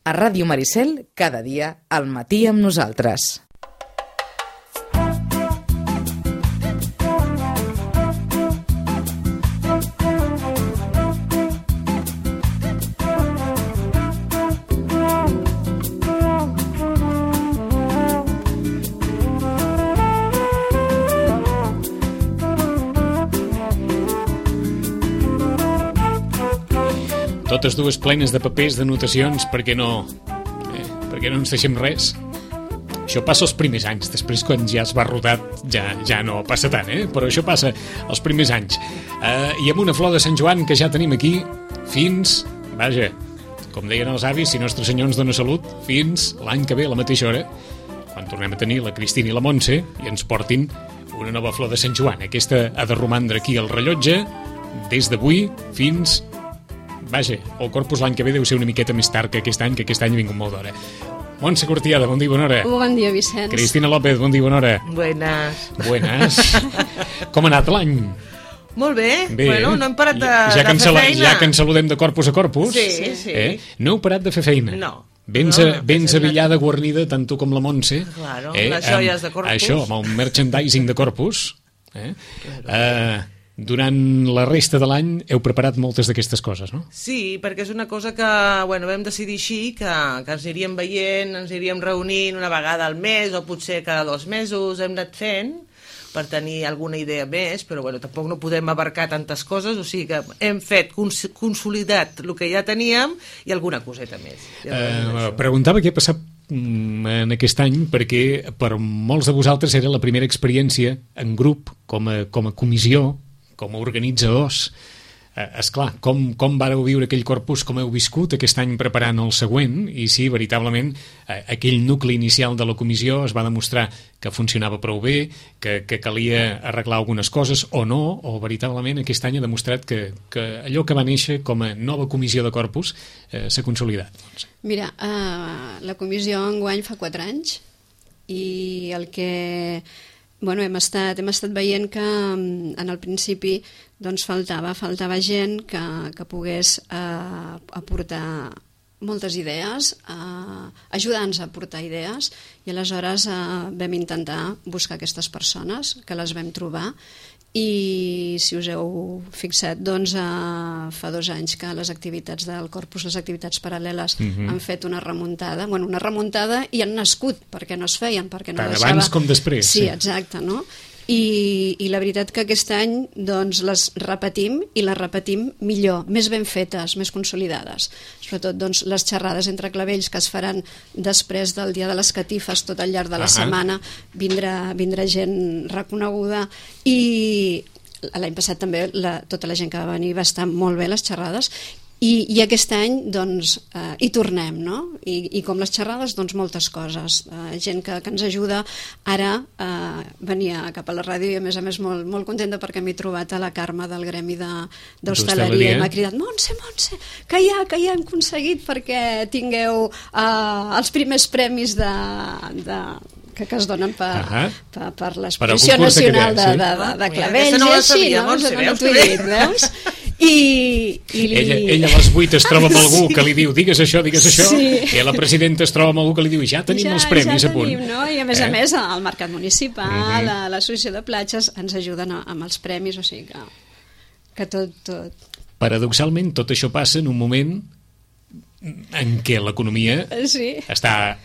A Ràdio Maricel, cada dia, al matí amb nosaltres. Totes dues plenes de papers, d'anotacions, perquè no ens deixem res. Això passa els primers anys, després quan ja es va rodat ja no passa tant, però això passa els primers anys. I amb una flor de Sant Joan que ja tenim aquí fins, vaja, com deien els avis, si Nostre Senyor ens dona salut, fins l'any que ve a la mateixa hora, quan tornem a tenir la Cristina i la Montse i ens portin una nova flor de Sant Joan. Aquesta ha de romandre aquí al rellotge des d'avui fins... Vaja, el Corpus l'any que ve deu ser una miqueta més tard que aquest any ha vingut molt d'hora. Montse Cortiada, bon dia, bona hora. Bon dia, Vicenç. Cristina López, bon dia, bona hora. Buenas. Com ha anat l'any? Molt bé. Bueno, no hem parat de fer feina. Ja que ens saludem de corpus a corpus. Sí. No heu parat de fer feina? No. Vens avillada, guarnida, tant tu com la Montse. Claro, les joies de corpus. Això, amb el merchandising de corpus. Durant la resta de l'any heu preparat moltes d'aquestes coses, no? Sí, perquè és una cosa que vam decidir així, que ens aniríem veient, ens aniríem reunint una vegada al mes o potser cada 2 mesos, hem anat fent per tenir alguna idea més, però tampoc no podem abarcar tantes coses, o sigui que hem fet consolidat el que ja teníem i alguna coseta més. Preguntava què ha passat en aquest any, perquè per molts de vosaltres era la primera experiència en grup, com a comissió, com a organitzadors. Esclar, com vareu viure aquell corpus, com heu viscut aquest any preparant el següent, i si veritablement aquell nucli inicial de la comissió es va demostrar que funcionava prou bé, que calia arreglar algunes coses o no, o veritablement aquest any ha demostrat que allò que va néixer com a nova comissió de corpus s'ha consolidat. Mira, la comissió enguany fa 4 anys i el que... hem estat veient que en el principi faltava gent que pogués aportar moltes idees, ajudar-nos a aportar idees, i aleshores vam intentar buscar aquestes persones, que les vam trobar, i si us heu fixat, fa 2 anys que les activitats del Corpus, les activitats paral·leles, han fet una remuntada, i han nascut, perquè no es feien, perquè no deixava... Abans com després. Sí, exacte, no? I la veritat que aquest any les repetim, i les repetim millor, més ben fetes, més consolidades. Sobretot les xerrades entre clavells que es faran després del dia de les catifes, tot al llarg de la setmana, vindrà gent reconeguda, i l'any passat també tota la gent que va venir va estar molt bé les xerrades, i aquest any hi tornem, no? I com les xerrades, moltes coses, gent que ens ajuda. Ara venia cap a la ràdio i a més molt contenta perquè m'he trobat a la Carme del gremi d'hostaleria i m'ha cridat: Montse, que ja hem aconseguit perquè tingueu els primers premis que es donen per l'exposició nacional de clavells. No la sabia, Montse, veus? Ella a les 8 es troba amb algú que li diu digues això, i la presidenta es troba amb algú que li diu ja tenim els premis a punt. No? I a més el Mercat Municipal, l'Associació de Platges ens ajuden amb els premis, o sigui que tot... Paradoxalment tot això passa en un moment en què l'economia està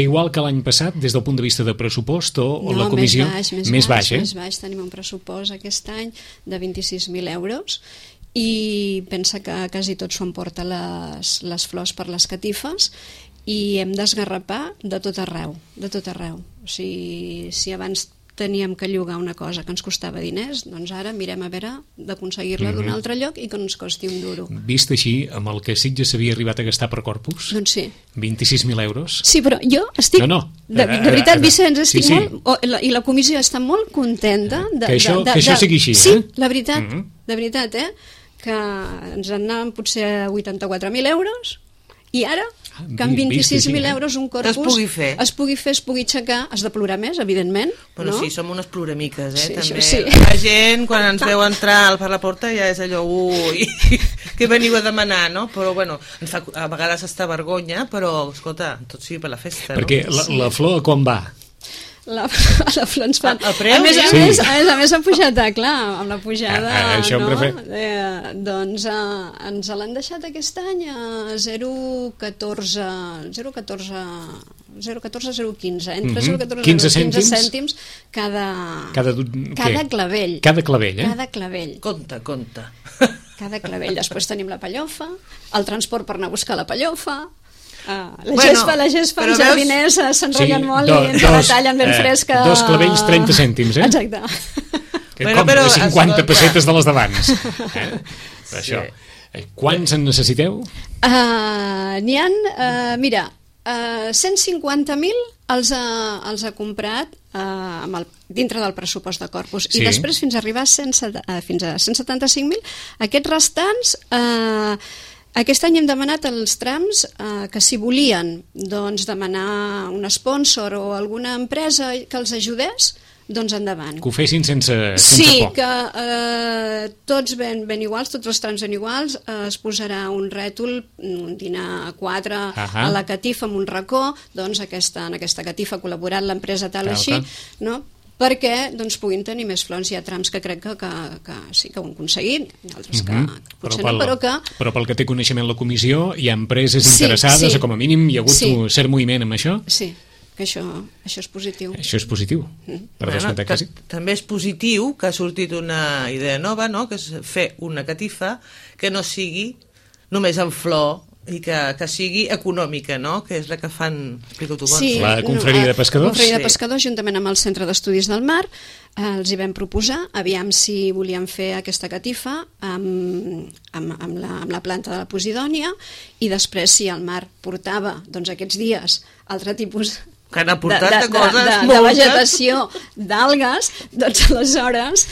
igual que l'any passat des del punt de vista de pressupost o la comissió? Més baix. Més baix, tenim un pressupost aquest any de 26.000 euros i pensa que quasi tot s'ho emporta les flors per les catifes i hem d'esgarrapar de tot arreu. O sigui, si abans teníem que llogar una cosa que ens costava diners, doncs ara mirem a veure d'aconseguir-la d'un altre lloc i que no ens costi un duro. Vist així, amb el que Sitges s'havia arribat a gastar per Corpus? Doncs sí. 26.000 euros? Sí, però jo estic... De veritat, Vicenç, estic molt... I la comissió està molt contenta... Que això sigui així, Sí, la veritat, de veritat, que ens en anàvem potser a 84.000 euros i ara que amb 26.000 euros un corpus es pugui fer, es pugui aixecar, has de plorar més, evidentment. Bueno, no? sí, som unes ploramiques, Sí, també. això sí. La gent, quan ens veu entrar per la porta, ja és allò, ui, que veniu a demanar, no? Però, bueno, ens fa a vegades està vergonya, però, escolta, tot sigui per la festa, Perquè no? la flor a quan va? La flor ens fan... El preu, a més, ja? a més ha pujat, clar, amb la pujada, això em no? refer... Doncs ens l'han deixat aquest any a 0,14, entre 0,14 i 15 0,15 cèntims? cèntims cada què? clavell. Cada clavell, eh? Cada clavell. Compte. Cada clavell. Després tenim la pellofa, el transport per anar a buscar la pellofa, la gespa, els jardiners s'enrotllen molt i ens la tallen ben fresca. 2 clavells, 30 cèntims, eh? Exacte. Que com de 50 pessetes de les d'abans. Això. Quants en necessiteu? N'hi ha, mira, 150.000 els ha comprat dintre del pressupost de Corpus, i després fins a arribar fins a 175.000. Aquests restants, aquest any hem demanat els trams que si volien demanar un sponsor o alguna empresa que els ajudés, doncs endavant. Que ho fessin sense sí, por. Que tots ben iguals, tots els trams ben iguals, es posarà un rètol, un dinar a 4 a la catifa amb un racó, doncs en aquesta catifa ha col·laborat l'empresa tal així, no? Perquè puguin tenir més flors. Hi ha trams que crec que sí que ho han aconseguit, i altres que potser no, però que... Però pel que té coneixement la comissió, hi ha empreses interessades, o com a mínim hi ha hagut un cert moviment amb això? Sí, que això és positiu. Això és positiu. També és positiu que ha sortit una idea nova, no? Que és fer una catifa que no sigui només en flor i que sigui econòmica, no? Que és la que fan... Explica-ho tu, sí, la confraria de pescadors? La confraria de pescadors, juntament amb el Centre d'Estudis del Mar, els hi vam proposar, aviam si volíem fer aquesta catifa amb la planta de la Posidònia, i després si el mar portava aquests dies altre tipus que han aportat de coses de vegetació, d'algues, doncs aleshores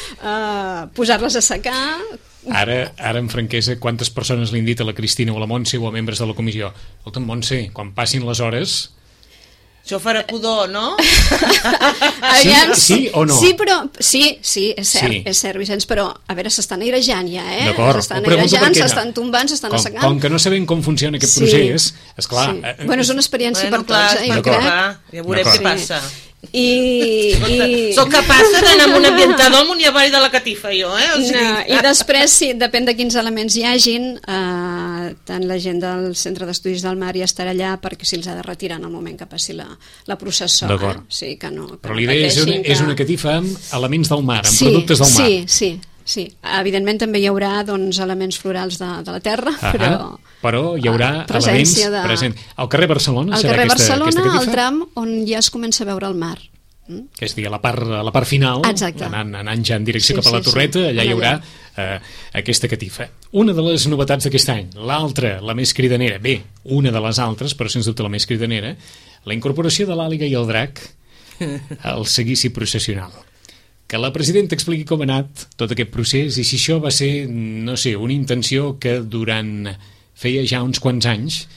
posar-les a secar. Ara, amb franquesa, quantes persones li han dit a la Cristina o a la Montse o a membres de la comissió: escolta, Montse, quan passin les hores... Això farà pudor, no? Sí o no? Sí, però... Sí, és cert, Vicenç, però a veure, s'estan airejant ja, D'acord, s'estan airejant, s'estan tombant, s'estan assecant. Com que no sabem com funciona aquest procés, esclar... Bueno, és una experiència per tots, jo crec. Ja veurem què passa. Soc capaç d'anar amb un ambientador amunt i avall de la catifa, jo, eh? I després, sí, depèn de quins elements hi hagin, tant la gent del Centre d'Estudis del Mar ja estarà allà perquè si els ha de retirar en el moment que passi la processó. D'acord. Sí, però l'idea és una catifa amb elements del mar, amb productes del mar. Sí, evidentment també hi haurà elements florals de la terra, però hi haurà elements presents. Al carrer Barcelona serà aquesta catifa? Al tram on ja es comença a veure el mar. Que és a dir, a la part final, anant ja en direcció cap a la Torreta, allà hi haurà aquesta catifa. Una de les novetats d'aquest any, l'altra, la més cridanera, una de les altres, però sens dubte la més cridanera, la incorporació de l'àliga i el drac al seguici processional. Que la presidenta expliqui com ha anat tot aquest procés i si això va ser, no sé, una intenció que durant feia ja uns quants anys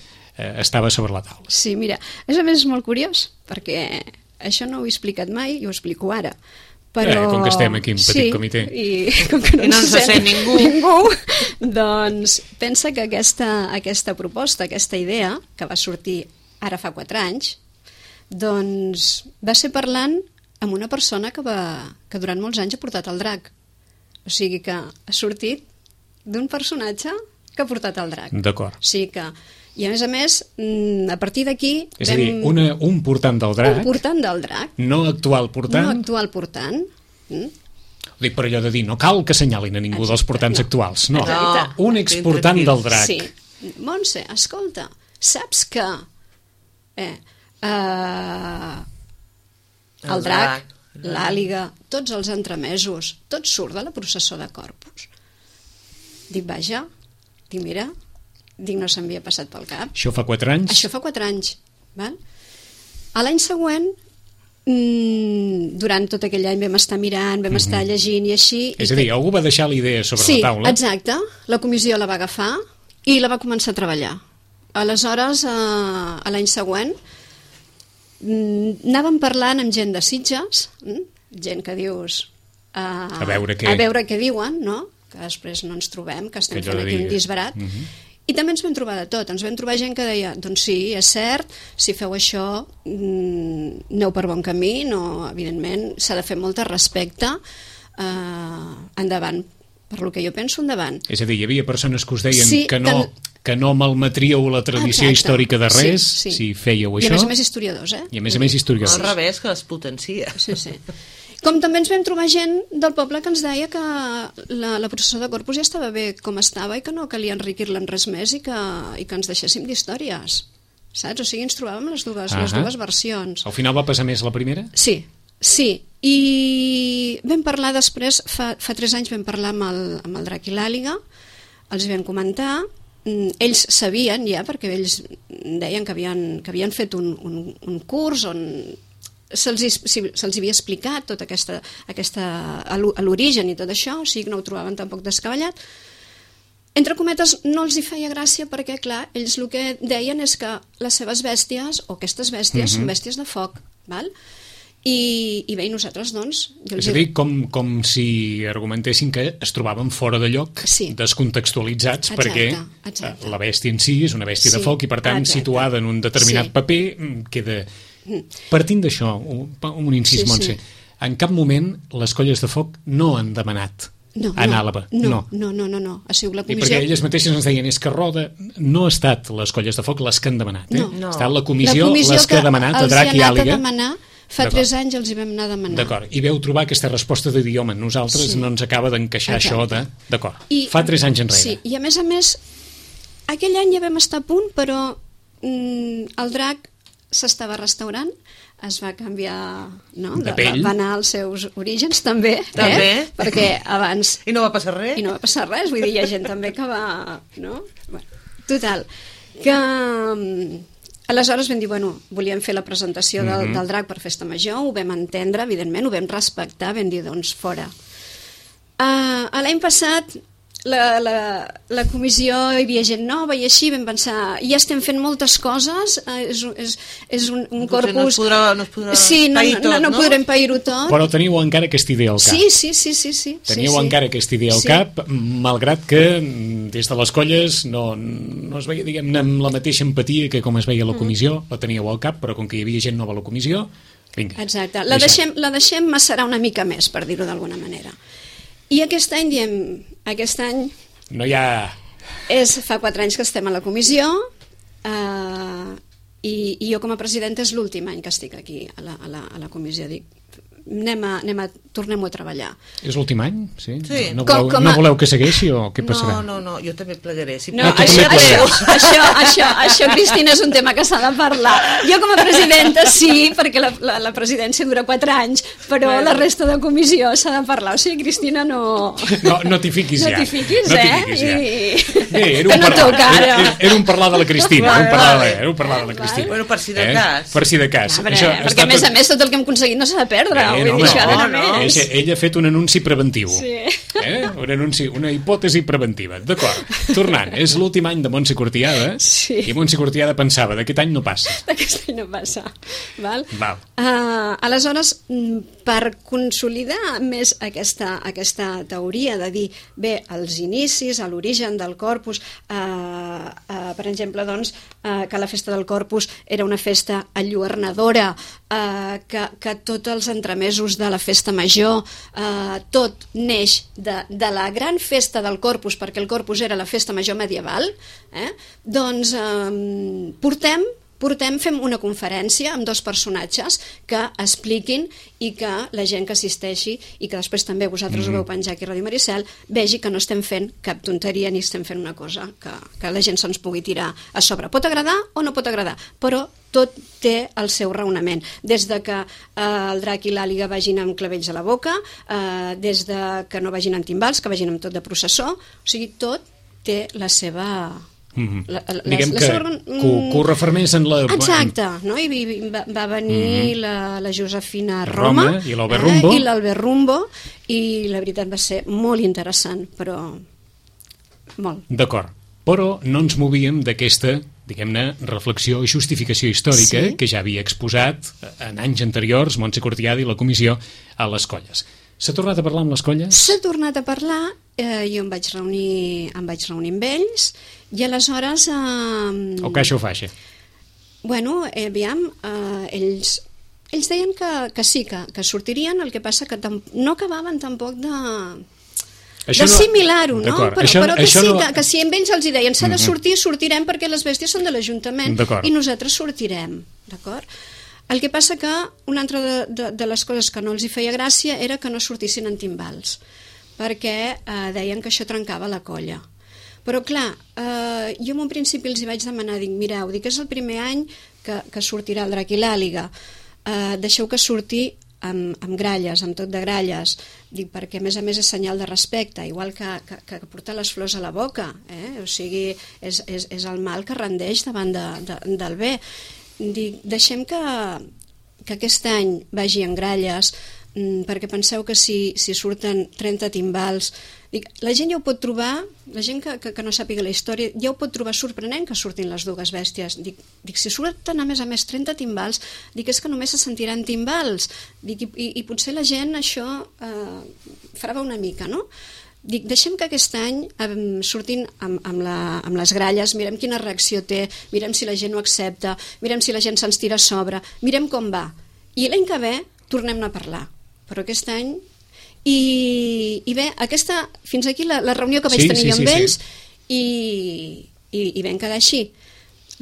estava sobre la taula. Sí, mira, a més és molt curiós, perquè això no ho he explicat mai i ho explico ara. Però... com que estem aquí en petit comitè. I com que no ens sent ningú, doncs pensa que aquesta proposta, aquesta idea, que va sortir ara fa 4 anys, doncs va ser parlant amb una persona que durant molts anys ha portat el drac. O sigui que ha sortit d'un personatge que ha portat el drac. D'acord. O sigui que, i a més, a partir d'aquí... És a dir, un portant del drac... Un portant del drac. No actual portant. No actual portant. Ho dic per allò de dir, no cal que assenyalin a ningú dels portants actuals. No, un exportant del drac. Sí. Montse, escolta, saps que... el drac, l'àliga, tots els entremesos, tot surt de la processó de Corpus. Dic, vaja, mira, no s'havia passat pel cap. Això fa 4 anys? Això fa 4 anys. Val? A l'any següent, durant tot aquell any vam estar mirant, vam estar llegint i així... És a dir, algú va deixar la idea sobre la taula? Sí, exacte. La comissió la va agafar i la va començar a treballar. aleshores, a l'any següent, anàvem parlant amb gent de Sitges, gent que dius... A veure què diuen, no? Que després no ens trobem, que estem fent aquí un disbarat. I també ens vam trobar de tot. Ens vam trobar gent que deia, doncs sí, és cert, si feu això, aneu per bon camí, no, evidentment, s'ha de fer molt de respecte, endavant. Per lo que jo penso, endavant. És a dir, hi havia persones que us deien que no malmetríeu la tradició històrica de res, si fèieu això. I a més historiadors, I a més historiadors. Al revés, que les potencia. Sí. Com també ens vam trobar gent del poble que ens deia que la processó de Corpus ja estava bé com estava i que no calia enriquir-la en res més i que ens deixéssim d'històries. Saps? O sigui, ens trobàvem les dues versions. Al final va passar més la primera? Sí. I vam parlar després, fa 3 anys vam parlar amb el Drac i l'Àliga, els vam comentar, ells sabien ja, perquè ells deien que havien fet un curs on se'ls havia explicat tot l'origen i tot això, o sigui que no ho trobaven tampoc descabellat. Entre cometes, no els hi feia gràcia perquè, clar, ells el que deien és que les seves bèsties, o aquestes bèsties, són bèsties de foc, val? I bé, nosaltres, doncs... És a dir, com si argumentessin que es trobaven fora de lloc, descontextualitzats, perquè la bèstia en si és una bèstia de foc i, per tant, situada en un determinat paper, queda... Partint d'això, un incís, Montse, en cap moment les colles de foc no han demanat anar a Àlaba. No. Ha sigut la comissió... I perquè elles mateixes ens deien, és que Roda no ha estat les colles de foc les que han demanat, ha estat la comissió les que ha demanat a Drac i Àliga. Fa 3 anys els hi vam anar a demanar. D'acord, i veu trobar aquesta resposta de dir, home, nosaltres no ens acaba d'encaixar això de... D'acord, fa 3 anys enrere. Sí, i a més, aquell any ja vam estar a punt, però el Drac s'estava restaurant, es va canviar de pell, va anar als seus orígens també. Perquè abans... I no va passar res? I no va passar res, vull dir, hi ha gent també que va... No? Total, que... Aleshores vam dir, volíem fer la presentació del Drac per Festa Major, ho vam entendre, evidentment, ho vam respectar, vam dir, doncs, fora. L'any passat la comissió hi havia gent nova i així vam pensar, ja estem fent moltes coses, és un corpus... No es podrà pair tot, no podrem pair-ho tot. Però teniu encara aquesta idea al cap. Sí. Teniu encara aquesta idea al cap, malgrat que des de les colles no es veia, diguem-ne, amb la mateixa empatia que com es veia a la comissió, la teníeu al cap, però com que hi havia gent nova a la comissió, vinga. Exacte, la deixem macerar una mica més, per dir-ho d'alguna manera. I aquest any diem, aquest any... No hi ha... Fa 4 anys que estem a la comissió i jo com a presidenta és l'últim any que estic aquí a la comissió. Dic, tornem-ho a treballar. És l'últim any? Sí? No Com voleu que segueixi o què passarà? No, jo també plegaré. Això, Cristina, és un tema que s'ha de parlar. Jo com a presidenta sí, perquè la presidència dura 4 anys, però la resta de comissió s'ha de parlar. O sigui, Cristina, no t'hi fiquis ja. No t'hi fiquis, Bé, era un parlar de la Cristina. Era un parlar de la Cristina. Bueno, per si de cas. Per si de cas. Perquè, a més, tot el que hem aconseguit no s'ha de perdre. Ella ha fet un anunci preventiu, una hipòtesi preventiva. D'acord, tornant, és l'últim any de Montse Cortiada i Montse Cortiada pensava, d'aquest any no passa. D'aquest any no passa. Val. Aleshores, per consolidar més aquesta teoria de dir, bé, els inicis, a l'origen del Corpus, per exemple, doncs, que la festa del Corpus era una festa enlluernadora, que tots els entremesos de la festa major, tot neix de la gran festa del Corpus, perquè el Corpus era la festa major medieval, doncs fem una conferència amb 2 personatges que expliquin i que la gent que assisteixi i que després també vosaltres ho veu penjar aquí a Ràdio Maricel vegi que no estem fent cap tonteria ni estem fent una cosa que la gent se'ns pugui tirar a sobre. Pot agradar o no pot agradar, però tot té el seu raonament. Des de que el Drac i l'Àliga vagin amb clavells a la boca, des de que no vagin amb timbals, que vagin amb tot de processó, o sigui, tot té la seva... Diguem que ho refermés en la... Exacte, no? I va venir la Josefina Roma i l'Albert Rumbo i la veritat va ser molt interessant, però molt. D'acord, però no ens movíem d'aquesta diguem-ne, reflexió i justificació històrica que ja havia exposat en anys anteriors Montse Cortiada i la comissió a les colles. S'ha tornat a parlar amb les colles? S'ha tornat a parlar, jo em vaig reunir amb ells, i aleshores... O caixa o faixa? Bueno, aviam, ells deien que sí, que sortirien, el que passa que no acabaven tampoc d'assimilar-ho, no? Però que sí, que si amb ells els deien s'ha de sortir, sortirem perquè les bèsties són de l'Ajuntament i nosaltres sortirem, d'acord? El que passa que una altra de les coses que no els hi feia gràcia era que no sortissin en timbals, perquè deien que això trencava la colla. Però clar, jo en un principi els hi vaig demanar, mireu, és el primer any que sortirà el Drac i l'Àliga, deixeu que surti amb gralles, amb tot de gralles, perquè a més és senyal de respecte, igual que portar les flors a la boca, o sigui, és el mal que rendeix davant del bé. Deixem que aquest any vagi en gralles, perquè penseu que si surten 30 timbals, la gent ja ho pot trobar, la gent que no sàpiga la història ja ho pot trobar sorprenent que surtin les dues bèsties. Si surten a més 30 timbals, és que només se sentiran timbals, i potser la gent això farà una mica, no? Deixem que aquest any surtin amb les gralles, mirem quina reacció té, mirem si la gent ho accepta, mirem si la gent se'ns tira a sobre, mirem com va, i l'any que ve tornem-ne a parlar, però aquest any i bé, fins aquí la reunió que vaig tenir jo amb ells i vam quedar així.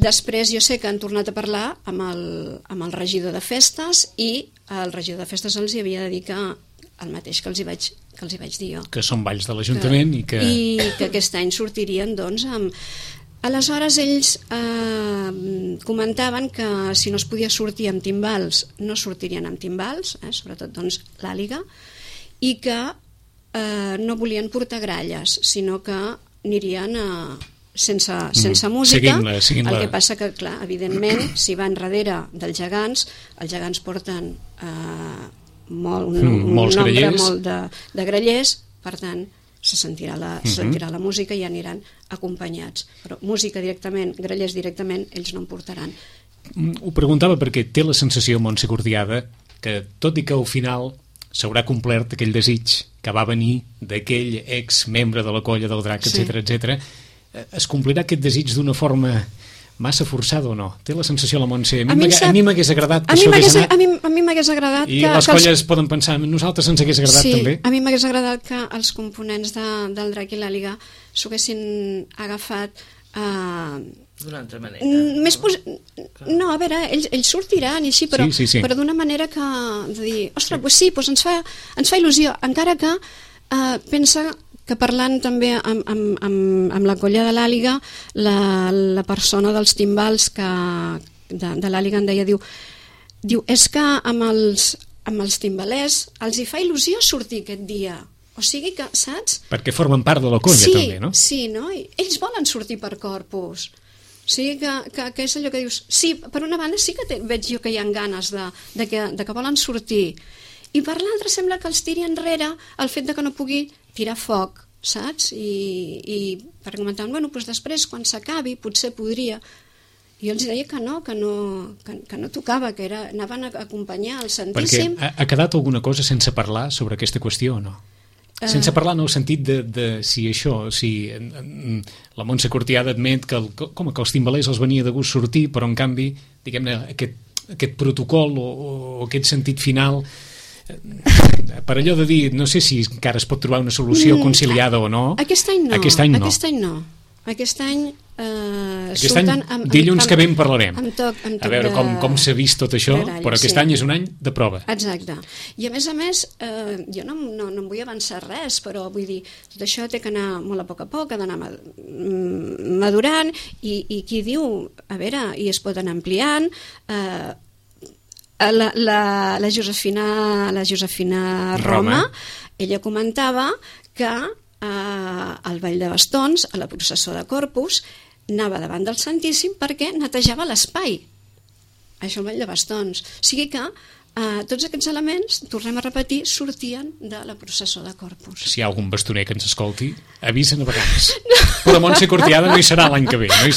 Després jo sé que han tornat a parlar amb el regidor de festes i el regidor de festes els hi havia de dir que el mateix que els hi vaig dir jo. Que són balls de l'Ajuntament i que aquest any sortirien doncs amb... Aleshores ells comentaven que si no es podia sortir amb timbals no sortirien amb timbals, sobretot doncs l'Àliga, i que no volien portar gralles, sinó que anirien sense música. Seguint-la. El que passa que, clar, evidentment, si van darrere dels gegants, els gegants porten un nombre molt de grallers, per tant, se sentirà la música i aniran acompanyats. Però música directament, grallers directament, ells no en portaran. Ho preguntava perquè té la sensació, Montse Cortiada, que tot i que al final s'haurà complert aquell desig que va venir d'aquell ex-membre de la colla del Drac, etc., es complirà aquest desig d'una forma massa forçada o no? Té la sensació la Montse? A mi m'hagués agradat que això hagués anat... A mi m'hagués agradat I les colles poden pensar, nosaltres ens hagués agradat també? Sí, a mi m'hagués agradat que els components del Drac i l'Àliga s'ho haguessin agafat d'una altra manera. No, a veure, ells sortiran i així, però d'una manera que de dir, ostres, doncs sí, ens fa il·lusió, encara que pensa que parlant també amb la colla de l'Àliga, la persona dels timbals de l'Àliga em deia, diu, és que amb els timbalers els hi fa il·lusió sortir aquest dia. O sigui que, saps? Perquè formen part de la colla també, no? Sí, no? Ells volen sortir per Corpus. O sigui que és allò que dius, sí, per una banda sí que veig jo que hi ha ganes de que volen sortir, i per l'altra sembla que els tiri enrere el fet de que no pugui tirar foc, saps? I per comentar, bueno, doncs després quan s'acabi potser podria. I jo els deia que no tocava, que anaven a acompanyar el Santíssim. Perquè ha quedat alguna cosa sense parlar sobre aquesta qüestió o no? Sense parlar en el sentit de si això, si la Montse Cortiada admet que els timbalers els venia de gust sortir, però en canvi, diguem-ne, aquest protocol o aquest sentit final, per allò de dir, no sé si encara es pot trobar una solució conciliada o no. Aquest any no. Aquest any surten dilluns que ve en parlarem, a veure com s'ha vist tot això, però aquest any és un any de prova. Exacte, i a més jo no em vull avançar res, però vull dir, tot això té que anar molt a poc, ha d'anar madurant, i qui diu, a veure, i es pot anar ampliant. La Josefina Roma, ella comentava que al Ball de Bastons, a la processó de Corpus, anava davant del Santíssim perquè netejava l'espai. Això el Ball de Bastons. O sigui que Tots aquests elements, tornem a repetir, sortien de la processó de Corpus. Si hi ha algun bastoner que ens escolti, avisa navegants. Però Montse Cortiada no hi serà l'any que ve, no hi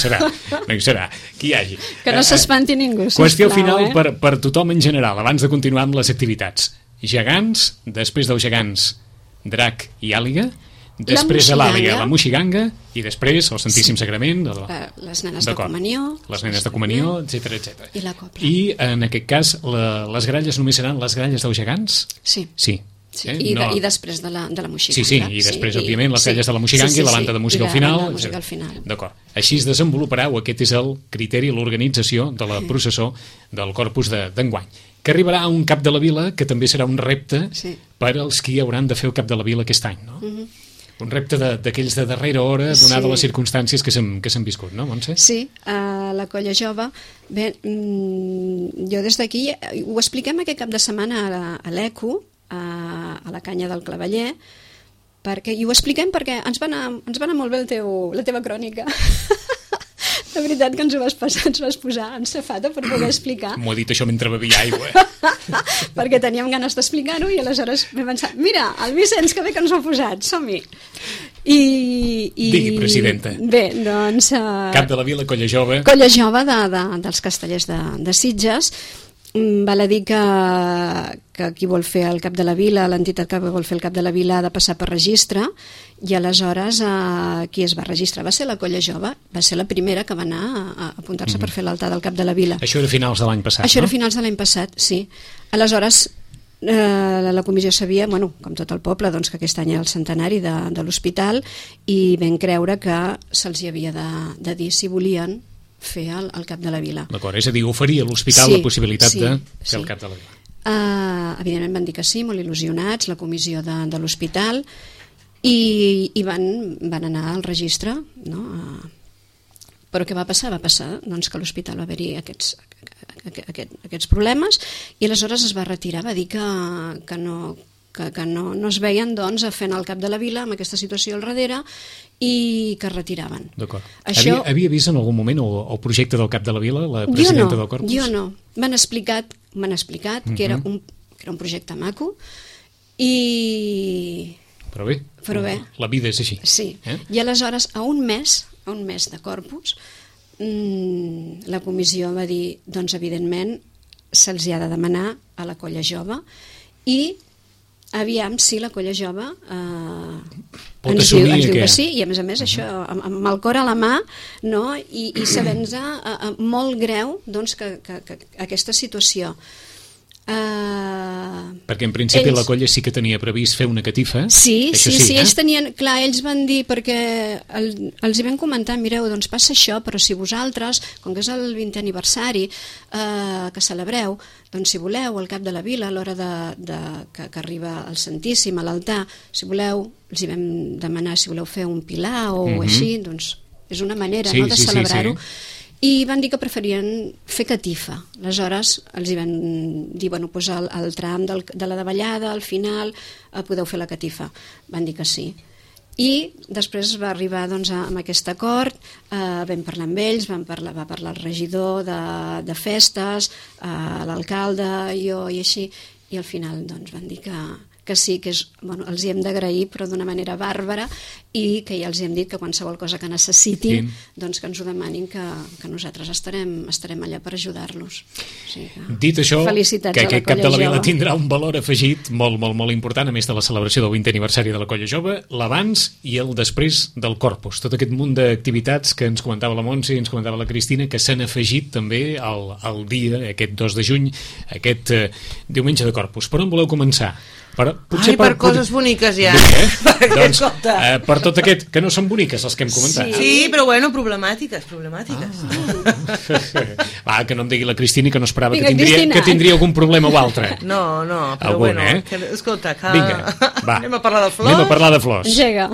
serà, qui hi hagi. Que no s'espanti ningú, sisplau. Qüestió final per tothom en general, abans de continuar amb les activitats. Gegants, després dels gegants, drac i àliga, després de l'àliga, la moixiganga, i després el Santíssim Sagrament, les nenes de comunió, etc. I la copla. I en aquest cas les gralles només seran les gralles dels gegants? Sí. I després de la moixiganga. Sí, i després, òbviament, les gralles de la moixiganga i la banda de música al final. D'acord. Així es desenvoluparà, o aquest és el criteri, l'organització de la processó del Corpus d'enguany, que arribarà a un cap de la vila que també serà un repte per als qui hauran de fer el cap de la vila aquest any, no? Un repte d'aquells de darrera hora, donada les circumstàncies que s'han viscut, no, Montse? Sí, la Colla Jove. Bé, jo des d'aquí ho expliquem aquest cap de setmana a l'ECO, a la Canya del Claveller, i ho expliquem perquè ens va anar molt bé la teva crònica. La veritat que ens vas posar en safata per poder explicar. M'ho he dit això mentre bevia aigua. Perquè teníem ganes d'explicar-ho i aleshores m'he pensat, mira, el Vicenç, que bé que ens ho ha posat, som-hi. Digui, presidenta. Bé, doncs... Cap de la Vila, Colla Jove. Colla Jove dels Castellers de Sitges. Val a dir que qui vol fer el cap de la vila, l'entitat que vol fer el cap de la vila ha de passar per registre, i aleshores qui es va registrar va ser la Colla Jove, va ser la primera que va anar a apuntar-se per fer l'altar del cap de la vila. Això era finals de l'any passat, Això era finals de l'any passat, sí. Aleshores la comissió sabia, com tot el poble, doncs, que aquest any era el centenari de l'hospital, i vam creure que se'ls havia de dir si volien fer el cap de la vila. D'acord, és a dir, oferia a l'hospital la possibilitat de fer el cap de la vila. Evidentment van dir que sí, molt il·lusionats, la comissió de l'hospital, i van anar al registre, no? Però què va passar? Va passar doncs, que a l'hospital va haver-hi aquests problemes, i aleshores es va retirar, va dir que no es veien doncs, fent el cap de la vila amb aquesta situació al darrere, i que es retiraven. D'acord. Havia vist en algun moment el projecte del cap de la vila, la presidenta del Corpus? Jo no. M'han explicat que era un projecte maco, i... Però bé, la vida és així. Sí, i aleshores a un mes de Corpus la comissió va dir, doncs evidentment se'ls ha de demanar a la Colla Jove, i aviam si la Colla Jove ens diu que sí, i a més això amb el cor a la mà, no? I sabent-nos molt greu doncs, que aquesta situació. Perquè en principi la Colla sí que tenia previst fer una catifa. Sí, ells tenien, clar, ells van dir, perquè els hi vam comentar, mireu, doncs passa això, però si vosaltres, com que és el 20è aniversari que celebreu, doncs si voleu al cap de la vila, a l'hora que arriba el Santíssim a l'altar, si voleu, els hi vam demanar si voleu fer un pilar o així, doncs és una manera de celebrar-ho. I van dir que preferien fer catifa. Aleshores els hi van dir, doncs al tram de la davallada, al final, podeu fer la catifa. Van dir que sí. I després va arribar amb aquest acord, vam parlar amb ells, va parlar el regidor de festes, l'alcalde, jo i així, i al final van dir que sí, que els hi hem d'agrair, però d'una manera bàrbara, i que ja els hem dit que qualsevol cosa que necessitin, doncs que ens ho demanin, que nosaltres estarem allà per ajudar-los. Dit això, que aquest cap de la vila tindrà un valor afegit molt, molt, molt important, a més de la celebració del 20è aniversari de la Colla Jove, l'abans i el després del Corpus. Tot aquest munt d'activitats que ens comentava la Montse i ens comentava la Cristina, que s'han afegit també al dia, aquest 2 de juny, aquest diumenge de Corpus. Per on voleu començar? Per coses boniques ja. Doncs per tot aquest, que no són boniques els que hem comentat. Sí, però problemàtiques. Va, que no em digui la Cristina que no esperava que tindria algun problema o altre. No, però bueno, escolta, anem a parlar de flors. Anem a parlar de flors. Llega.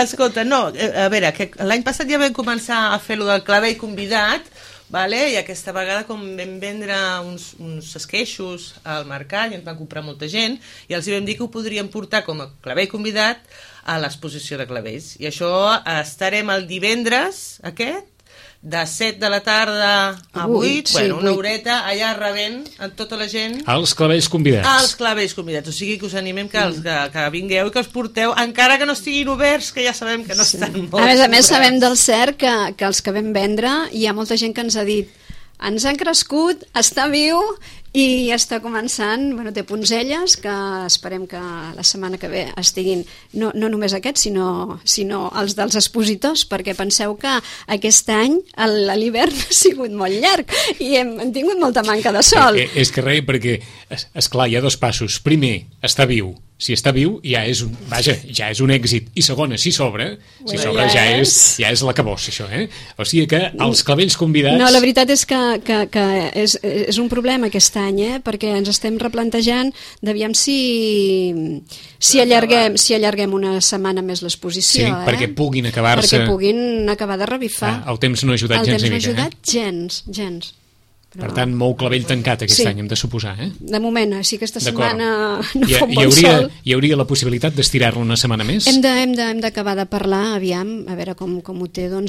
Escolta, no, a veure, l'any passat ja vam començar a fer lo del clavell convidat, i aquesta vegada com vam vendre uns esqueixos al mercat i ens van comprar molta gent, i els vam dir que ho podríem portar com a clavell convidat a l'exposició de clavells, i això estarem el divendres aquest de 7 de la tarda a 8, sí, una 8. horeta allà rebent a tota la gent Els clavells convidats. als clavells convidats, o sigui que us animem que vingueu i que us porteu, encara que no estiguin oberts, que ja sabem que no estan molt A més, oberts. sabem del cert que els que vam vendre, hi ha molta gent que ens ha dit ens han crescut, està viu i està començant, té punzelles que esperem que la setmana que ve estiguin, no només aquests sinó els dels expositors, perquè penseu que aquest any l'hivern ha sigut molt llarg i hem tingut molta manca de sol. És que res, perquè esclar, hi ha dos passos. Primer, està viu. Si està viu ja és un èxit, i segona, si s'obre ja és l'acabós, això, o sigui que els clavells convidats... No, la veritat és que és un problema aquest any, perquè ens estem replantejant d'aviam si allarguem una setmana més l'exposició, perquè puguin acabar-se... Perquè puguin acabar de revifar. El temps no ha ajudat gens ni mica. El temps no ha ajudat gens. Per tant, molt clavell tancat aquest any, hem de suposar, De moment, si aquesta setmana no fa un bon sol... Hi hauria la possibilitat d'estirar-lo una setmana més? Hem d'acabar de parlar, aviam, a veure com ho té el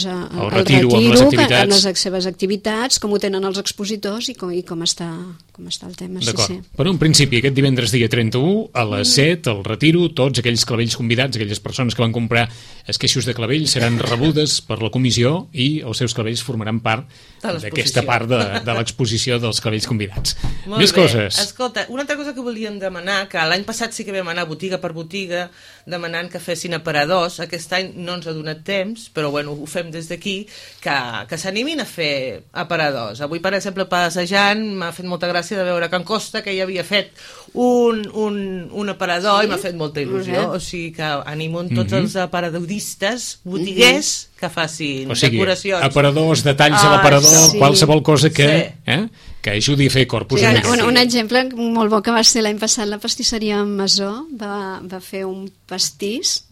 retiro amb les activitats. amb les seves activitats, com ho tenen els expositors i com està el tema. D'acord. Però en principi, aquest divendres dia 31, a les 7, el retiro, tots aquells clavells convidats, aquelles persones que van comprar esqueixos de clavell, seran rebudes per la comissió i els seus clavells formaran part d'aquesta part de l'exposició dels clavells convidats. Molt Més bé. coses. Escolta, una altra cosa que volíem demanar, que l'any passat sí que vam anar botiga per botiga demanant que fessin aparadors, aquest any no ens ha donat temps, però bueno, ho fem des d'aquí, que s'animin a fer aparadors. Avui, per exemple, passejant, m'ha fet molta gràcia de veure Can Costa, que ja havia fet un aparador i m'ha fet molta il·lusió, o sigui que animo tots els aparadoristes, botiguers, que facin decoracions. Aparadors, detalls a l'aparador, qualsevol cosa que ajudi a fer corpus. Un exemple molt bo que va ser l'any passat, la pastisseria Masó va fer un pastís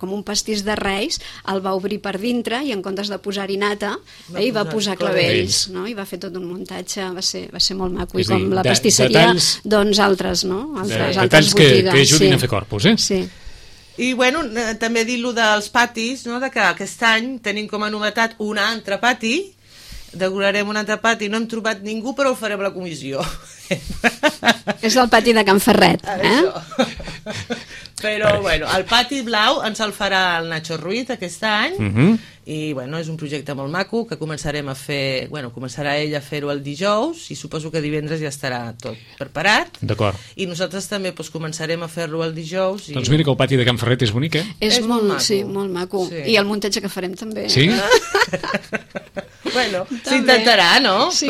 com un pastís de Reis, el va obrir per dintre i en comptes de posar-hi nata i va posar clavells, i va fer tot un muntatge, va ser molt maco, i com la pastisseria doncs altres botigues. Detalls que ajudin a fer corpus, Sí. I bueno, també dir-lo dels patis, de que aquest any tenim com a novetat un altre pati, decorarem un altre pati, no hem trobat ningú però ho farem a la comissió. És el pati de Can Ferret, Però bueno, el pati blau ens el farà el Nacho Ruiz aquest any, i bueno, és un projecte molt maco que començarem a fer, començarà ell a fer-ho el dijous i suposo que divendres ja estarà tot preparat. D'acord. I nosaltres també començarem a fer-lo el dijous. Doncs mira que el pati de Can Ferret és bonic, És molt maco. Sí, molt maco. Sí. I el muntatge que farem també. Sí? Bueno, s'intentarà, no? Sí.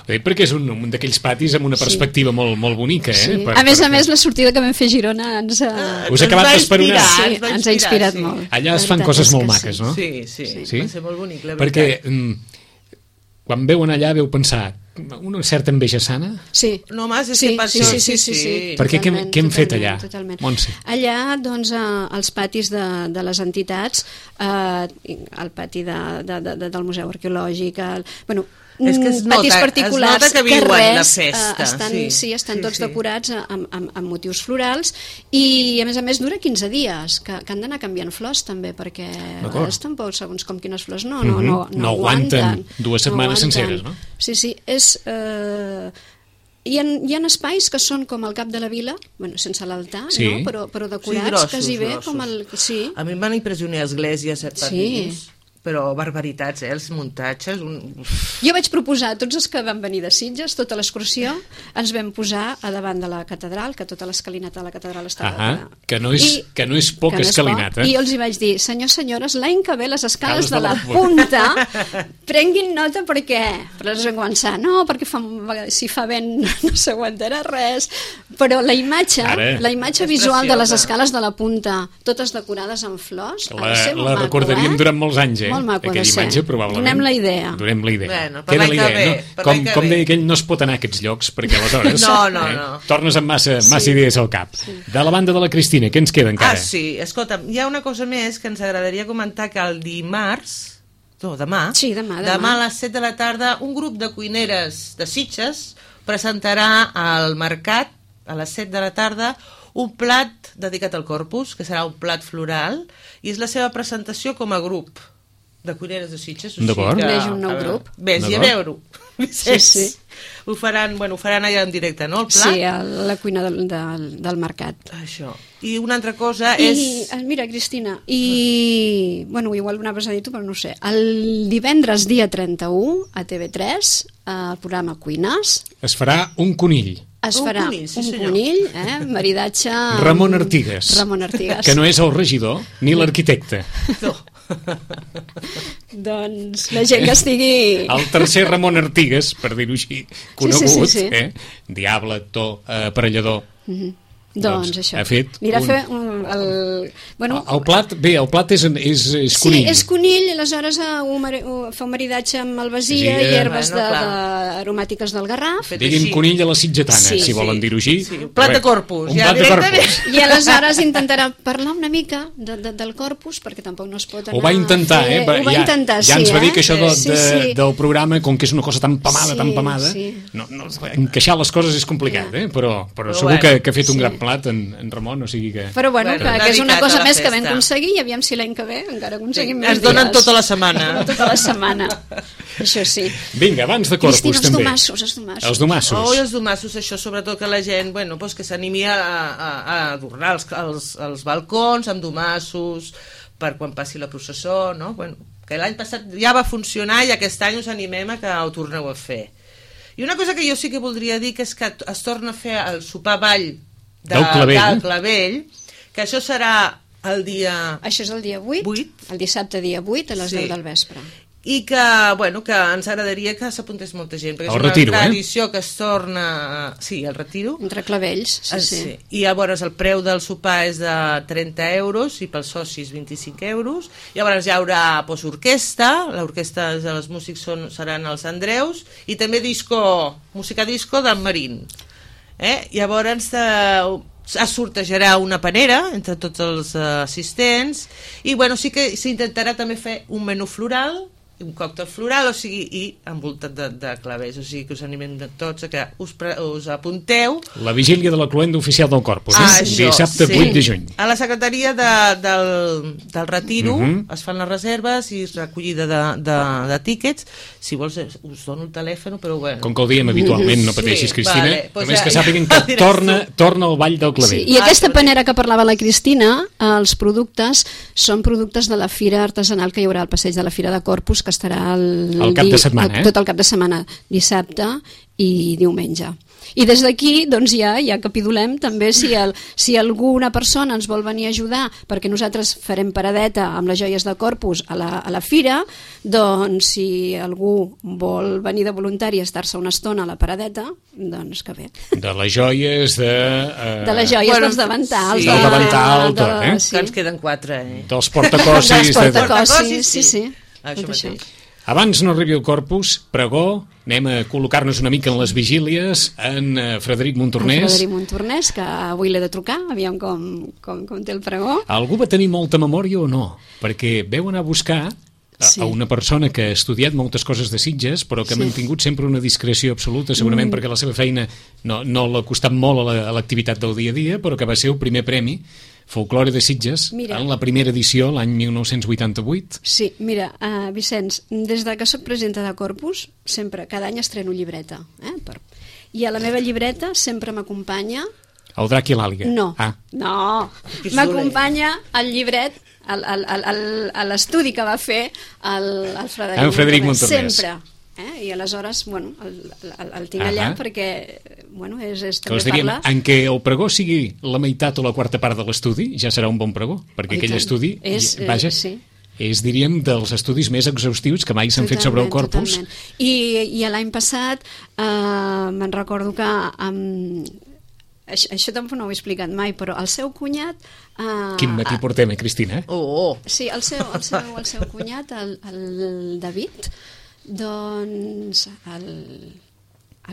Perquè és un d'aquells patis amb una perspectiva molt bonica, Sí. A més, la sortida que vam fer a Girona ens us ha acabat d'esperonar. Sí, ens ha inspirat molt. Allà es fan coses molt maques, no? Sí, va ser molt bonic, la veritat. Perquè quan veuen allà veu pensar una certa enveja sana? Sí. No, mas, és que per això... Sí. Perquè què hem fet allà, Montse? Allà, doncs, els patis de les entitats, el pati del Museu Arqueològic, és que patis particulars, que viuen la festa. Estan tots decorats amb motius florals i, a més, dura 15 dies, que han d'anar canviant flors, també, perquè a vegades tampoc, segons com quines flors, no aguanten 2 setmanes senceres, no? Sí, és... Hi ha espais que són com el cap de la vila, sense l'altar, però decorats quasi bé com el... Sí. A mi em van impressionar esglésies per dins, però barbaritats, els muntatges... Jo vaig proposar a tots els que van venir de Sitges, tota l'excursió, ens vam posar a davant de la catedral, que tota l'escalinata de la catedral estava... Que no és poca escalinata. I jo els hi vaig dir, senyors, l'any que ve les escales de la punta prenguin nota perquè... Però els vam començar, perquè si fa vent no s'aguantarà res, però la imatge visual de les escales de la punta, totes decorades amb flors, ha de ser molt maco, recordaríem durant molts anys, molt maco aquella imatge, probablement. Donem la idea. Bueno, queda la idea, no? Com deia aquell, no es pot anar a aquests llocs, perquè aleshores tornes amb massa idees al cap. De la banda de la Cristina, què ens queda encara? Sí, escolta, hi ha una cosa més que ens agradaria comentar, que el dimarts, demà a les 7 de la tarda, un grup de cuineres de Sitges presentarà al mercat, a les 7 de la tarda, un plat dedicat al Corpus, que serà un plat floral, i és la seva presentació com a grup. de cuineres de Sitges. D'acord. Neix un nou grup. Vés-hi a veure-ho. Sí. Ho faran allà en directe, no, el plat? Sí, a la cuina del mercat. Això. I una altra cosa és... Mira, Cristina, bueno, igual ho anaves a dir tu, però no ho sé. El divendres dia 31 a TV3, el programa Cuines, es farà un conill. es farà un conill, maridatge... Ramon Artigas. Que no és el regidor ni l'arquitecte. No. Doncs la gent que estigui... El tercer Ramon Artigas, per dir-ho així, conegut, sí. diable, actor, aparellador. Doncs això. Ha fet Mira, un... fer bueno, el plat és conill. Sí, és conill, aleshores fa un maridatge amb albasia i herbes aromàtiques del Garraf. Diguin conill a la sitgetana, si volen dir-ho així. Sí. Un plat de corpus. Un plat de corpus. I aleshores intentarà parlar una mica del corpus, perquè tampoc no es pot anar... Ho va intentar, Ho va intentar, ja ens va dir que això del programa, com que és una cosa tan pamada, encaixar les coses és complicat, però segur que ha fet un gran plat en Ramon, o sigui que... Però bueno, que és una cosa més que vam aconseguir i aviam si l'any que ve encara aconseguim més dies. Es donen tota la setmana. Tota la setmana, això sí. Vinga, abans de corpus Cristina, també. Els domassos. Els domassos, això, sobretot que la gent, que s'animi a adornar els balcons amb domassos per quan passi la processó, no? Que l'any passat ja va funcionar i aquest any us animem a que ho torneu a fer. I una cosa que jo sí que voldria dir que és que es torna a fer el sopar ball del Clavell, que això serà el dia... Això és el dia 8, el dissabte dia 8 a les 10 del vespre. I que ens agradaria que s'apuntés molta gent, perquè és una tradició que es torna... Sí, el retiro. Entre Clavells, sí. I llavors el preu del sopar és de 30 euros i pels socis 25 euros. Llavors hi haurà orquestra, l'orquestra de les músics seran els Andreus, i també música disco del Marín. Llavors es sortejarà una panera entre tots els assistents i sí que s'intentarà també fer un menú floral, un còctel floral, i envoltat de clavells, o sigui que us animem tots a que us apunteu. La vigília de la cloenda oficial del Corpus, dissabte 8 de juny. A la secretaria del retiro es fan les reserves i recollida de tíquets. Si vols us dono el telèfon, però bueno. Com que ho diem habitualment, no pateixis, Cristina, només que sàpiguen que torna al Ball del Clavell. I aquesta panera que parlava la Cristina, els productes són productes de la fira artesanal que hi haurà al passeig de la Fira de Corpus, que estarà el cap de setmana, tot el cap de setmana, dissabte i diumenge. I des d'aquí ja capitulem també si alguna persona ens vol venir a ajudar, perquè nosaltres farem paradeta amb les joies de Corpus a la fira, doncs si algú vol venir de voluntari a estar-se una estona a la paradeta, doncs que bé. De les joies de les joies dels davantals. Del davantal, tot, que ens queden 4, Dels portacossis. Dels portacossis, sí. Abans no arribi el Corpus, pregó, anem a col·locar-nos una mica en les vigílies, en Frederic Montornès. Que avui l'he de trucar, aviam com té el pregó. Algú va tenir molta memòria o no? Perquè veu anar a buscar a una persona que ha estudiat moltes coses de Sitges, però que ha mantingut sempre una discreció absoluta, segurament perquè la seva feina no l'ha costat molt a l'activitat del dia a dia, però que va ser el primer premi Folklore de Sitges, en la primera edició, l'any 1988. Sí, mira, Vicenç, des que soc presidenta de Corpus, sempre, cada any estreno llibreta. I a la meva llibreta sempre m'acompanya... El drac i l'àliga. No, m'acompanya el llibret, a l'estudi que va fer el Frederic Montornès. Sempre. I aleshores, el tinc allà perquè, és també diríem, en què el pregó sigui la meitat o la quarta part de l'estudi, ja serà un bon pregó, perquè aquell estudi, és, diríem, dels estudis més exhaustius que mai s'han fet sobre el Corpus. I l'any passat me'n recordo que això tampoc no ho he explicat mai, però el seu cunyat... Quin matí portem, Cristina? Sí, el seu cunyat, el David... Doncs el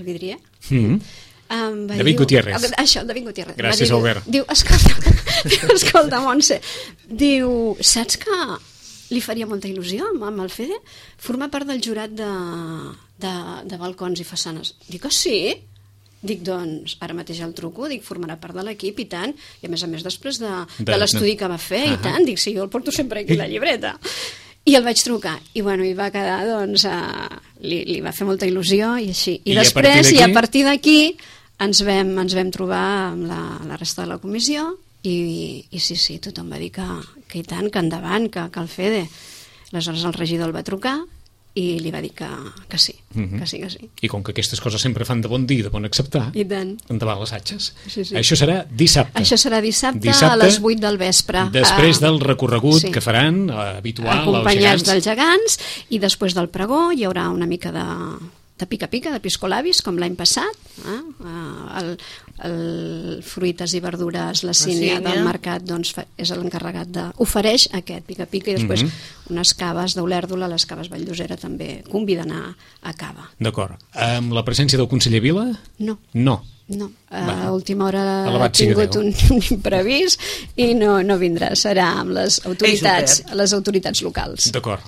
vidrier David Gutiérrez. Això, David Gutiérrez. Gràcies, Albert. Diu, escolta, Montse, diu, saps que li faria molta il·lusió amb el Fede formar part del jurat de balcons i façanes? Dic que sí? Dic, doncs, ara mateix el truco, dic, formarà part de l'equip i tant, i a més després de l'estudi que va fer i tant, dic, sí, jo el porto sempre aquí la llibreta. I el vaig trucar, i bueno, i va quedar, doncs, li va fer molta il·lusió, i així. I després, a partir d'aquí, ens vam trobar amb la resta de la comissió, i sí, tothom va dir que i tant, que endavant, que el FEDE. Aleshores el regidor el va trucar, i li va dir que sí, que sí. I com que aquestes coses sempre fan de bon dir, de bon acceptar, i tant, endavant les atxes. Sí. Això serà dissabte. Això serà dissabte a les 8 del vespre. Després del recorregut que faran, habitual, acompanyats dels gegants, i després del pregó hi haurà una mica de pica-pica, de piscolabis, com l'any passat. El Fruites i Verdures, la Sínia del mercat, doncs, és l'encarregat ofereix aquest pica-pica, i després unes caves d'Olèrdola, les caves Valldosera també conviden a cava. D'acord. Amb la presència del conseller Vila? No. A última hora ha tingut un imprevist i no vindrà, serà amb les autoritats locals. D'acord.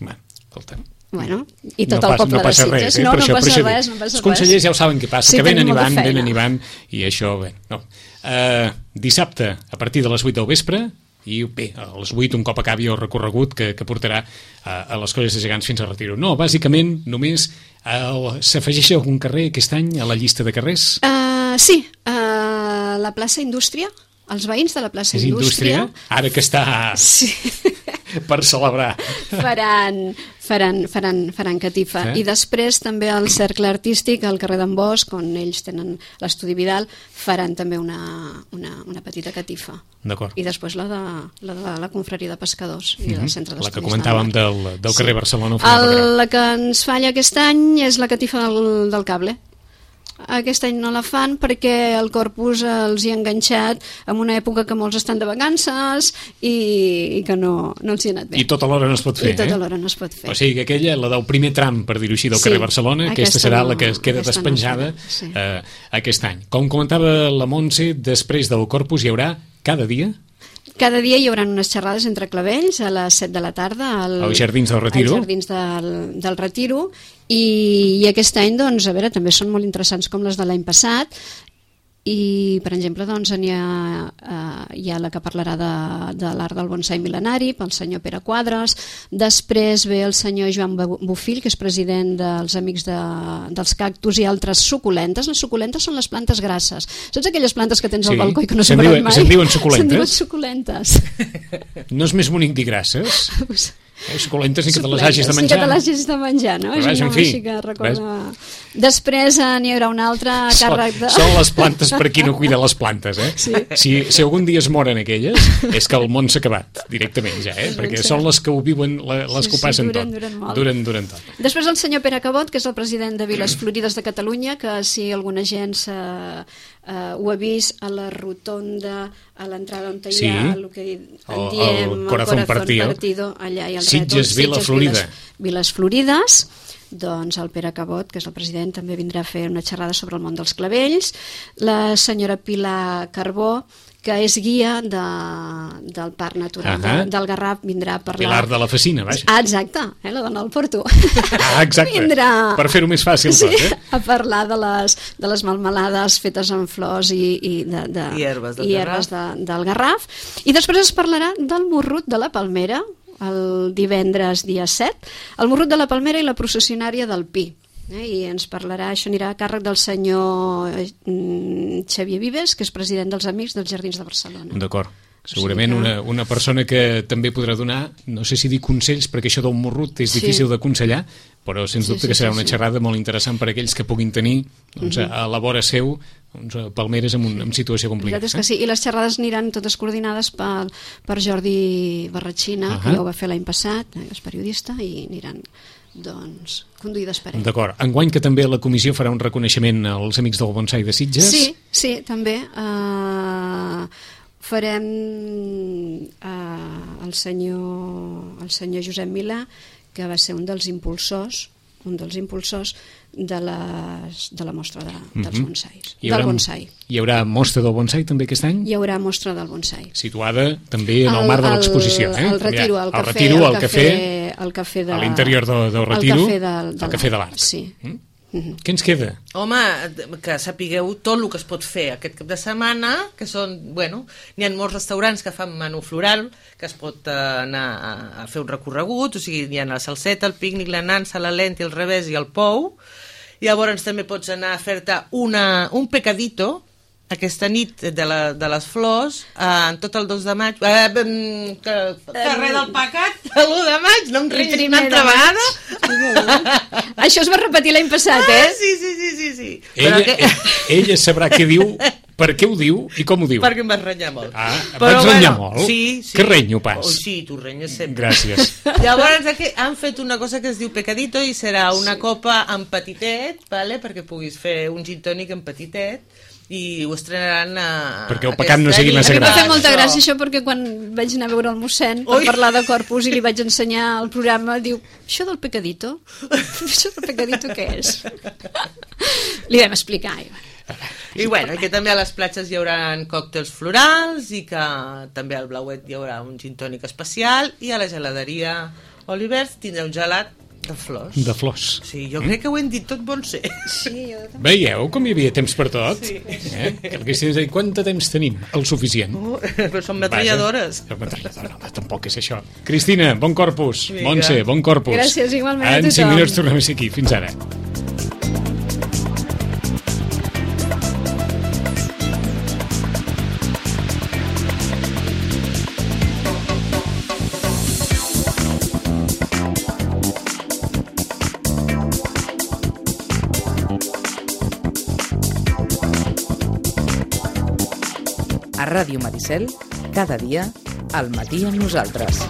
Bé, escolta'm. Bueno, i tot el poble de Sitges. No passa res. Els consellers ja ho saben què passa, que venen i van, i això, bé. Dissabte, a partir de les 8 del vespre, i bé, a les 8, un cop acabi el recorregut que portarà a les Colles de Gegants fins a Retiro. No, bàsicament, només s'afegeix algun carrer aquest any a la llista de carrers? Sí, la plaça Indústria, els veïns de la plaça Indústria... Ara que està per celebrar. Faran catifa. I després també el Cercle Artístic al carrer d'en Bosch, on ells tenen l'Estudi Vidal, faran també una petita catifa. D'acord. I després la de la Confraria de Pescadors i del Centre d'Estudis. La que comentàvem del carrer Barcelona. La que ens falla aquest any és la catifa del cable. Aquest any no la fan perquè el Corpus els hi ha enganxat en una època que molts estan de vacances i que no els hi ha anat bé. I tota l'hora no es pot fer, O sigui que aquella, la del primer tram, per dir-ho així, del carrer Barcelona, aquesta serà la que queda despenjada aquest any. Com comentava la Montse, després del Corpus hi haurà cada dia... Cada dia hi haurà unes xerrades entre clavells a les 7 de la tarda als Jardins del Retiro. Als Jardins del Retiro, i aquest any, doncs, a veure, també són molt interessants com les de l'any passat, i, per exemple, doncs, hi ha la que parlarà de l'art del bonsai mil·lenari, pel senyor Pere Quadres. Després ve el senyor Joan Bofill, que és president dels Amics dels Cactus i altres suculentes. Les suculentes són les plantes grasses. Saps aquelles plantes que tens al balcó i que no s'han parat mai? Se'n diuen suculentes? Se'n diuen suculentes. No és més bonic dir grasses? Suculentes ni que te les hagis de menjar. Sí que te les hagis de menjar, no? Però en fi. Després n'hi haurà una altra càrrec de... Són les plantes per qui no cuida les plantes, Si algun dia es moren aquelles, és que el món s'ha acabat directament ja, perquè són les que ho viuen, les que ho passen tot. Duren tot. Després el senyor Pere Cabot, que és el president de Viles Florides de Catalunya, que si alguna gent ho ha vist a la rotonda, a l'entrada on hi ha el que en diem el Corazón Partido, allà hi ha el Sitges, Viles Florides. Doncs el Pere Cabot, que és el president, també vindrà a fer una xerrada sobre el món dels clavells. La senyora Pilar Carbó, que és guia del Parc Natural del Garraf, vindrà a parlar... Pilar de la Facina, vaja. Exacte, la dona del Porto. Exacte, per fer-ho més fàcil tot. A parlar de les melmelades fetes amb flors i herbes del Garraf. I després es parlarà del morrut de la Palmera, el divendres dia 7, el morrut de la Palmera i la processionària del Pi. I ens parlarà, això anirà a càrrec del senyor Xavier Vives, que és president dels Amics dels Jardins de Barcelona. D'acord. Segurament una persona que també podrà donar, no sé si dir consells, perquè això del morrut és difícil d'aconsellar, però sens dubte que serà una xerrada molt interessant per a aquells que puguin tenir a la vora seu palmeres en situació complicada. La veritat és que sí, i les xerrades aniran totes coordinades per Jordi Barratxina, que ja ho va fer l'any passat, és periodista, i aniran conduïdes per ell. D'acord. Enguany que també la comissió farà un reconeixement als Amics del Bonsai de Sitges? Sí, també. Farem el senyor Josep Milà, que va ser un dels impulsors de la mostra dels bonsais. Hi haurà mostra del bonsai també aquest any? Hi haurà mostra del bonsai. Situada també en el marc de l'exposició. Al Retiro, al cafè a l'interior del Retiro, al Cafè de l'Art. Sí. Què ens queda? Home, que sapigueu tot el que es pot fer aquest cap de setmana, que són, bueno, n'hi ha molts restaurants que fan menú floral, que es pot anar a fer un recorregut, o sigui, hi ha la salseta, el pícnic, la nansa, la lenta, el revés i el pou. Llavors també pots anar a fer-te un pecadito, aquesta nit de les flors, en tot el 2 de maig, carrer del Pecat, l'1 de maig, no em renyis una altra vegada. Això es va repetir l'any passat, Sí. Ella sabrà què diu, per què ho diu i com ho diu. Perquè em vas renyar molt. Em vaig renyar molt? Sí. Que renyo pas? Sí, tu renyes sempre. Gràcies. Llavors han fet una cosa que es diu pecadito i serà una copa en petitet, vale? Perquè puguis fer un gin tònic en petitet, i ho estrenaran perquè el pecat no sigui massa gran. gran. Em va fer molta gràcia això, perquè quan vaig anar a veure el mossèn per parlar de Corpus i li vaig ensenyar el programa, diu, això del pecadito què és? Li vam explicar. I bueno, que també a les platges hi haurà còctels florals i que també al Blauet hi haurà un gin tònic especial i a la geladeria Olivers tindrà un gelat de flors. De flors. Sí, jo crec que ho hem dit tot bon ser. Sí, jo també. Veieu com hi havia temps per tot? Sí. Que haguessis dit, quant de temps tenim? El suficient. Però són metralladores. No, tampoc és això. Cristina, bon Corpus. Vinga. Montse, bon Corpus. Gràcies, igualment a En tothom. 5 minuts tornem a ser aquí. Fins ara. A Ràdio Maricel, cada dia, al matí amb nosaltres.